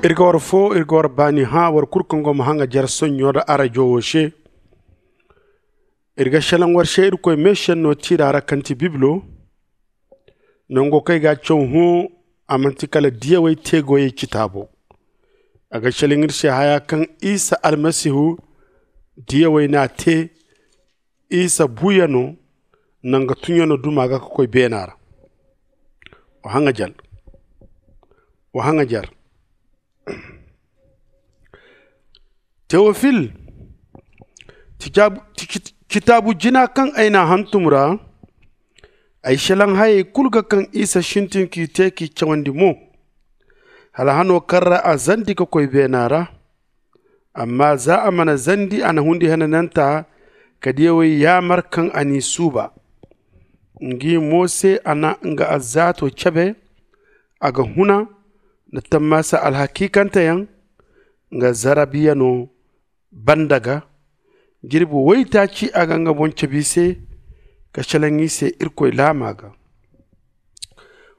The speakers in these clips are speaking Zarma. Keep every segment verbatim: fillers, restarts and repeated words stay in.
Iri ga war fo, iri ga war baani hã war kulu kaŋ go ma haŋajer sonɲo nda arajo wo se. Iri ga selaŋ war se irkoy meesenno tiira ra kaŋ ti bibilo. Nango kaŋ i ga a caw hõ, a manti kala diyawey teegoyey citaabo. A ga selaŋ iri se haya kaŋ isa almasihu diyawey n'a te isa buuyano nda nga tunyano duma ga ka koy beena ra. Wa haŋajer. Wa haŋajer. Tewofil, citaabu jina kaŋ ay n'a hantum ra, ay selaŋ hayey kulu ga kaŋ isa sintin k'i te k'i cawandi mo, hala hano kaŋ ra a zandi ka koy beena ra. Amma za a mana zandi a na hundi henananta ka diyawey yaamar kaŋ a n'i suuba. Ngi mo se a na nga alzaato cabe. A ga huna nda tammaasa alhakiikanteyaŋ nga zarabiyano banda ga. Jirbi waytaaci a ga nga boŋ cabe i se ka selaŋ i se irkoy laama ga.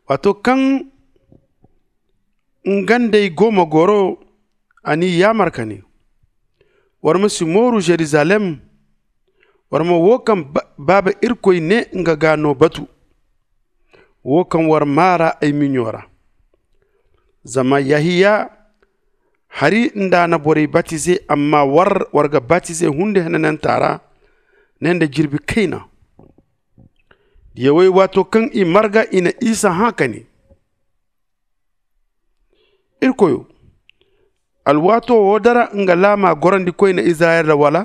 Waato kaŋ nga nd'ey go ma goro, a n'i yaamar ka ne, war ma si mooru jerusalem. War ma wo kaŋ baaba irkoy ne nga ga no batu, wo kaŋ war maa ra ay miɲo ra. Zama yahiya hari nda a na borey batize, amma war war ga batize hundi henananta ra ne nda jirbi kayna. Diyawey waato kaŋ i marga i na isa hã ka ne, irkoyo, alwaato wo dara nga laama gorandikoyne izirayel ra wala?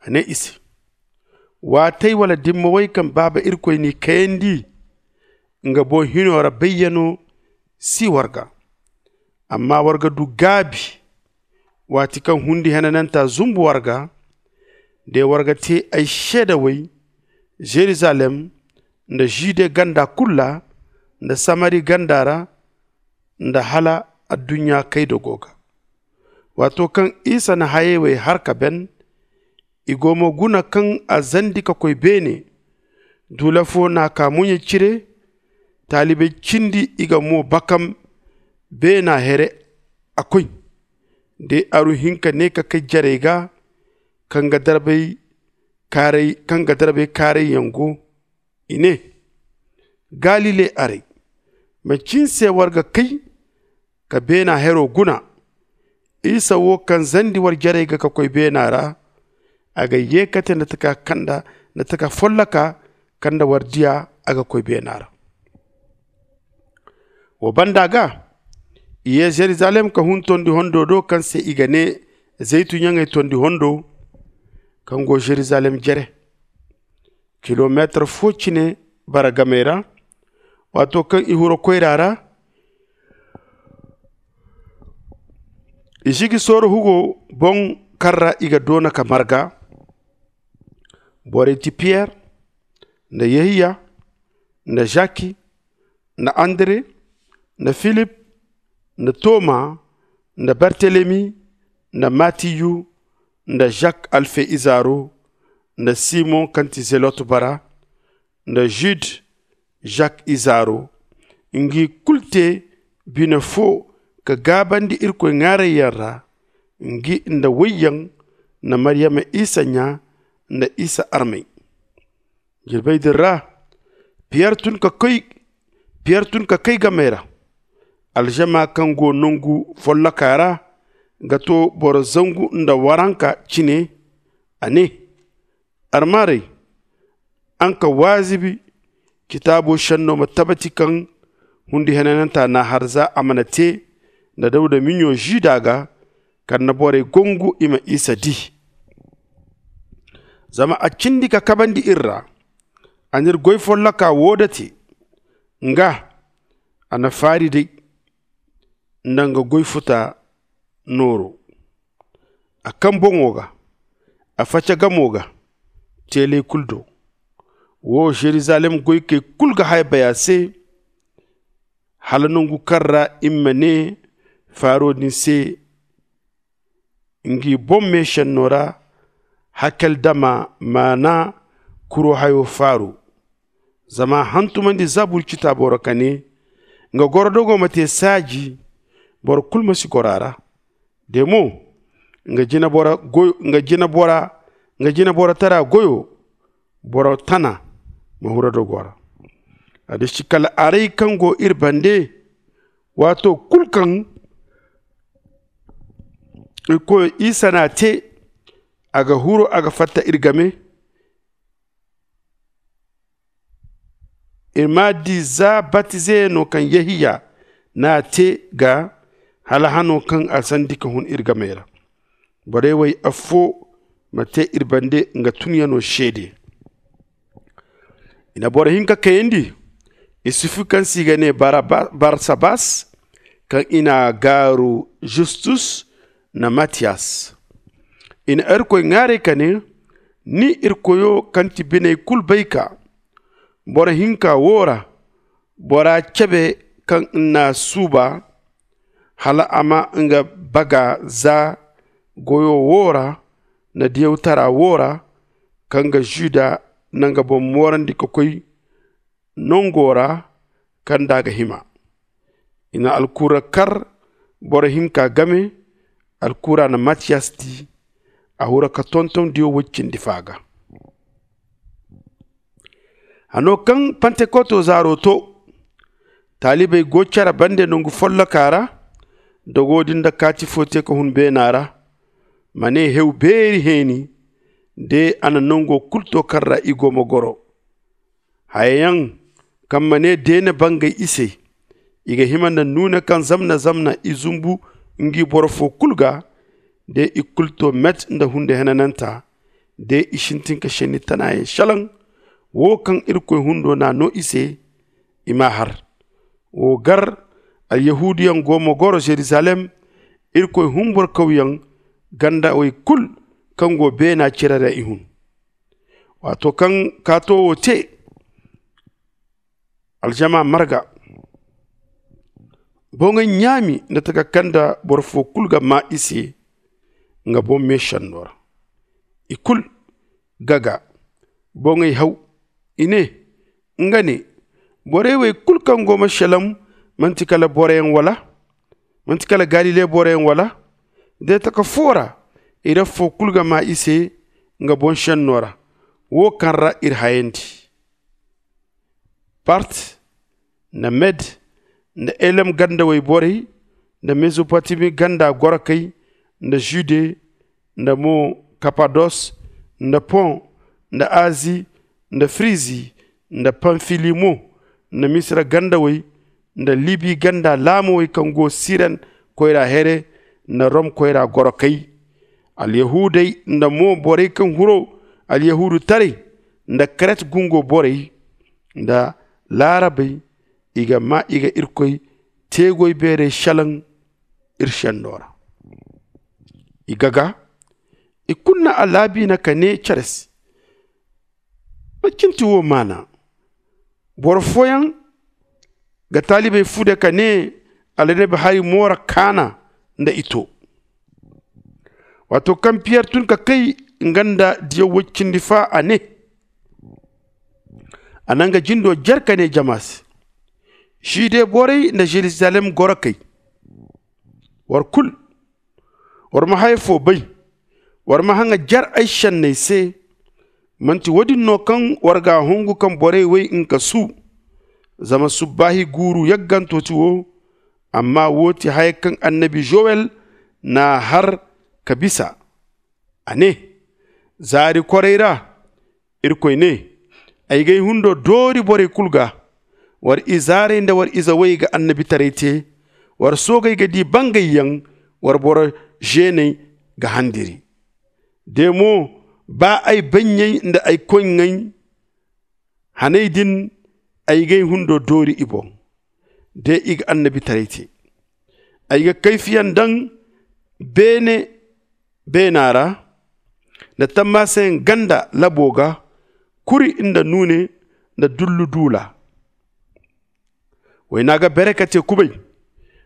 A ne i se, waatey wala dimmawey kaŋ baaba irkoy n'i kayandi nga boŋ hino ra bayyano si war ga. Amma war ga du gaabi waati kaŋ hundi henananta zumbu war ga, de war ga te ay seedawey jerusalem nda jude ganda kulu ra nda samari ganda ra nda hala adduɲɲa kayda go ga. Waato kaŋ isa na hayey wey har ka ben, i go ma guna kaŋ a zandi ka koy beene. Duula fo n'a kaa muɲe cire. Taalibey cindi i ga mo bakam beena here a koy. De aru hinka ne ka kay jarey ga kaŋ ga darbay kaarayyaŋ go. I ne, galile arey, manci ni se war ga kay ka beena hero guna? Isa wo kaŋ zandi war jarey ga ka koy beena ra, a ga yeekate nda taka folloka kaŋ nda war diya a ga koy beena ra. Wo banda ga i ye jerusalem ka hun tondi hondo do kaŋ se i ga ne zaytu ɲaŋey tondi hondo, kaŋ go jerusalem jere kilomeetar fo cine bara gamey ra. Waato kaŋ i huro koyra ra, i si ga sooro hugo boŋ kaŋ ra i ga doona ka marga. Borey ti piyer nda yehiya nda zaki nda andre nda filip nda toma nda bartelemi nda matiyu nda zak alfe izaaro nda simon kaŋ ti zelot bara nda jude zak izaaro. Ngi kulu te bine fo ka gaabandi irkoy ŋwaarayyaŋ ra, ngi nda woyyaŋ nda maryama isa ɲa nda isa armey. Jirbey din ra piyer tun ka kay gamey ra. Alžama kaŋ go nangu folloka ra ga to boro zangu nda waranka cine. A ne, armaarey, araŋ ka waazibi citaabo senno ma tabati kaŋ hundi henananta n'a har za a mana te nda dawda miɲo žuda ga, kala nda borey gongu i ma isa di. Zama a cindi ka kabandi iri ra. A n'iri goy folloka wo date. Nga a na faari day nda nga goy futa nooro. A kaŋ boŋo ga a faca gamo ga teeley kulu do. Wo žerizalem goykey kulu ga haya bay a se, hala nangu kaŋ ra i ma ne faaro din se ngi boŋ meesenno ra, hakeldama maana kuro hayo faaru. Zama a hantumandi zabur citaabo ra ka ne, Nga gorodogo ma te saaji, boro kulu ma si goro a ra. De mo, nga jina bora goyo nga jina bora nga jina bora tara goyo, boro tana ma hura dogo ra. A da shi kala aray kaŋ go iri bande, waato kulu kaŋ iri koyo isa n'a te, a ga huru a ga fatta iri game. Iri m'a di za batize no kaŋ yehiya n'a te ga, hala hano kaŋ a sandi ka hun iri game ra. Borey wey affo ma te iri bande nga tunyano seede. I na boro hinka kayandi, isufu kaŋ se i ga ne barsabas, kaŋ i n'a gaaru justus, nda matiyas. I na irkoy ŋwaaray ka ne, ni irkoyo kaŋ ti biney kulu bay ka, boro hinka wo ra, bora cebe kaŋ n'a suuba, hala a ma nga baga za goyo wo ra, nda diyawtara wo ra, kaŋ ga žuda nda nga boŋ moorandi ka koy nango ra kaŋ nd'a ga hima. I na alkura kar boro hinka game. Alkura na matiyas di, a hura ka tonton diyo woy cindi fa ga. Hano kaŋ pantekoto zaaro to, taalibey go care bande nangu folloka ra, dogo din nda kaati fo te ka hun beena ra. Ma ne hew beeri heeni, de a na nango kulu to kaŋ ra i go ma goro. Hayayaŋ kaŋ ma ne deene bangay i se, i ga hima nda nuune kaŋ zamna zamna i zumbu ngi boro fo kulu ga. De i kulu to met nda hunde henananta, de i sintin ka senni tanayaŋ selaŋ. Wo kaŋ irkoy hundo n'a no i se, i m'a har. Wo gar alyahuuduyaŋ go ma goro zerizalem, irkoy humburkawyaŋ gandawey kulu kaŋ go beena cire ra i hun. Waato kaŋ kaato wo te, aljama marga, boŋey ɲaami nda taka kaŋ nda boro fo kulu ga maa i se nga boŋ meesenno ra. I kulu gaga, boŋey haw, i ne, nga ne, borey wey kulu kaŋ go ma selam, manti kala boroyaŋ wala? Manti kala galile boroyaŋ wala? De taka fo ra, iri affo kulu ga maa i se nga boŋ senno ra, wo kaŋ ra iri hayandi. Part, nda med, nda elem gandawey borey, nda mezopotami ganda gorokey, nda jude, nda mo kapados, nda pon, nda azi, nda firizi, nda pamfili mo, nda misira gandawey, nda libi ganda laamowey kaŋ go siren koyra here, nda rom koyra gorokey. Alyahuudey nda mo borey kaŋ huru alyahuudutaray, nda kret gungo borey, nda laarabey, i ga maa i ga irkoy teegoy beerey selaŋ iri senno ra. I gaga, i kulu na a laabiina ka ne care se, macin ti wo maana? Boro fooyaŋ ga taalibey fu de ka ne, alanabi hari moora kaana nda i to. Waato kaŋ piyer tun ka kay nga nda diyaw woy cindi fa a ne, a na nga jindo jare ka ne jama se, žide borey nda žerizalem gorokey, war kulu, war ma haya fo bay. War ma haŋa jare ay senney se. Manti wo-din no kaŋ war g'a hungu kaŋ borey way nka su? Zama subbaahi guuru yagganto ti wo. Amma wo ti haya kaŋ annabi zowel n'a har ka bisa. A ne, zaari koray ra, irkoy ne, ay g'ay hundo doori borey kulu ga. War izaarey nda war izawey ga annabitaray te. War soogey ga di bangayyaŋ. War boro zeeney ga handiri. De mo, ba ay bannyey nda ay koyŋey haney din, ay g'ay hundo doori i boŋ. De i ga annabitaray te, ay ga kayfiyaŋ daŋ beene beena ra, nda tammaasayaŋ ganda labo ga, kuri nda nuune nda dullu duula. Wayna ga bere ka te kubay.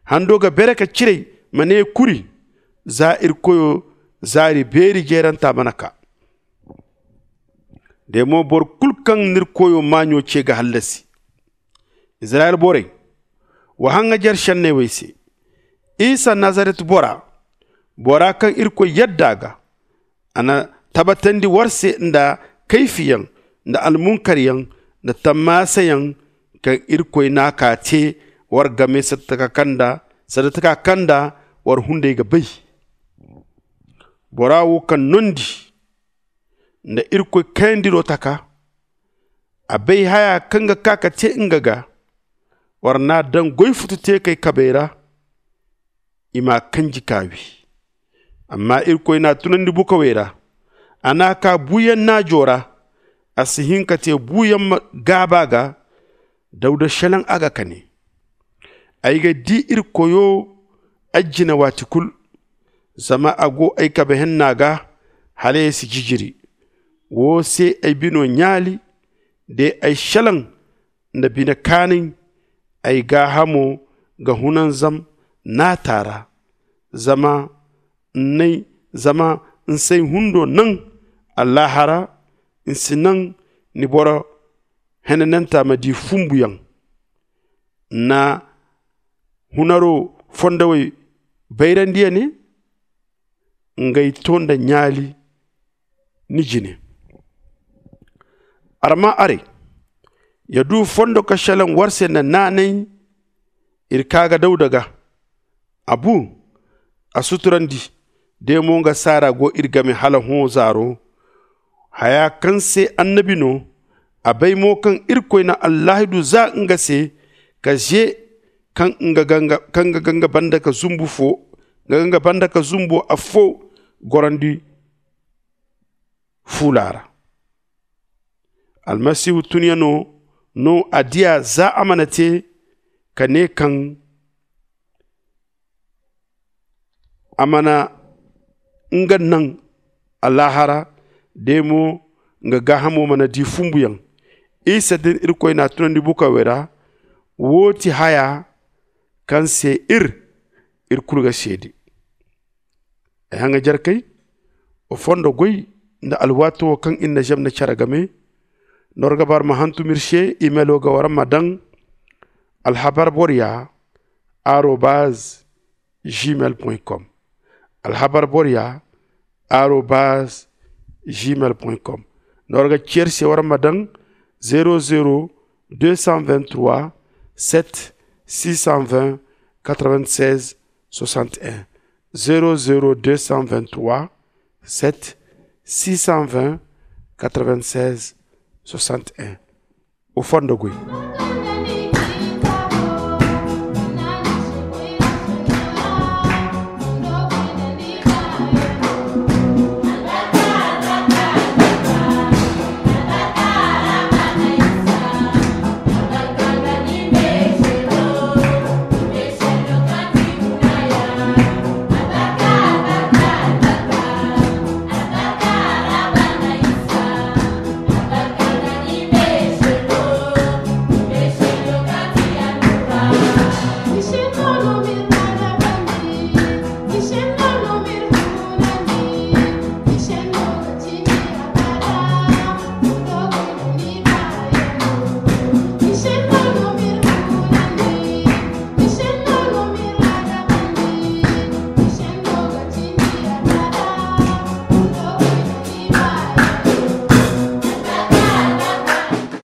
Hando ga bere ka ciray. Ma ne kuri, za iri koyo zaari beeri jeeranta mana kaa. De mo boro kulu kaŋ n'iri koyo maaɲo ce ga hallasi. Izirayel borey, Wa haŋajer senney wey se. Isa nazaret bora, bora kaŋ irkoy yadda a ga, a na tabbatandi war se nda kayfiyaŋ nda almunkaryaŋ nda tammaasayaŋ, kaŋ irkoy n'a ka te war game sanda taka kaŋ nda war hunday ga bay. Bora wo kaŋ nondi nda irkoy kayandiro taka, a bay haya kaŋ ga ka ka te nga ga. War n'a daŋ goy futu teekey kabey ra, i m'a kanji k'a wi. Amma irkoy n'a tunandi bukawey ra, a n'a ka buuyaŋ naajo ra. A si hin ka te buuyaŋ ma gaaba ga. Dawda shelaŋ a ga ka ne, ay ga di irkoyo ay jine waati kulu, zama a go ay kabe henna ga, hala ay si jijiri. Wo se ay bino ɲaali, de ay shelaŋ nda bine kaanay. Ay gaahamo ga hunanzam naata ra, zama n'ay zama n'say hundo naŋ. Allaahara n'si naŋ ni boro henananta ma di fumbuyaŋ. N'na hunaro fondowey bayrandi ya ne, ngey to nda ɲaali ni jine. Arma aray ya du fondo ka shelaŋ war se nda naanay. Iri ka ga dawda ga, a bu, a suturandi. De mo nga saara go iri game hala hõ zaaro. Haya kaŋ se annabi no, a bay mo kaŋ irkoy na allaahidu za nga se, ka ze kaŋ nga ga nga banda ka zumbu fo nga ga nga banda ka zumbo affo gorandi fuula ra. Almasihu tunyano no a diya za a mana te ka ne kaŋ a mana nga naŋ alaahara. De mo nga gaahamo mana di fumbuyaŋ. Isa din irkoy n'a tunandi bukawey ra. Wo ti haya kaŋ se ir ir kulu ga seede. Ay haŋajarkey, wa fondo goy nda alwaati wo kaŋ iri na zam na care game. Nda war ga ba war ma hantum iri se, imelo ga war ma daŋ alhabar borya arobaz gmail com. Alhabar borya arobaz gmail com. Nda war ga ceer se war ma daŋ zero zero deux cent vingt-trois sept six cent vingt quatre-vingt-seize soixante-un. Zero zero deux cent vingt-trois sept six cent vingt quatre-vingt-seize soixante-un. O fondo goy.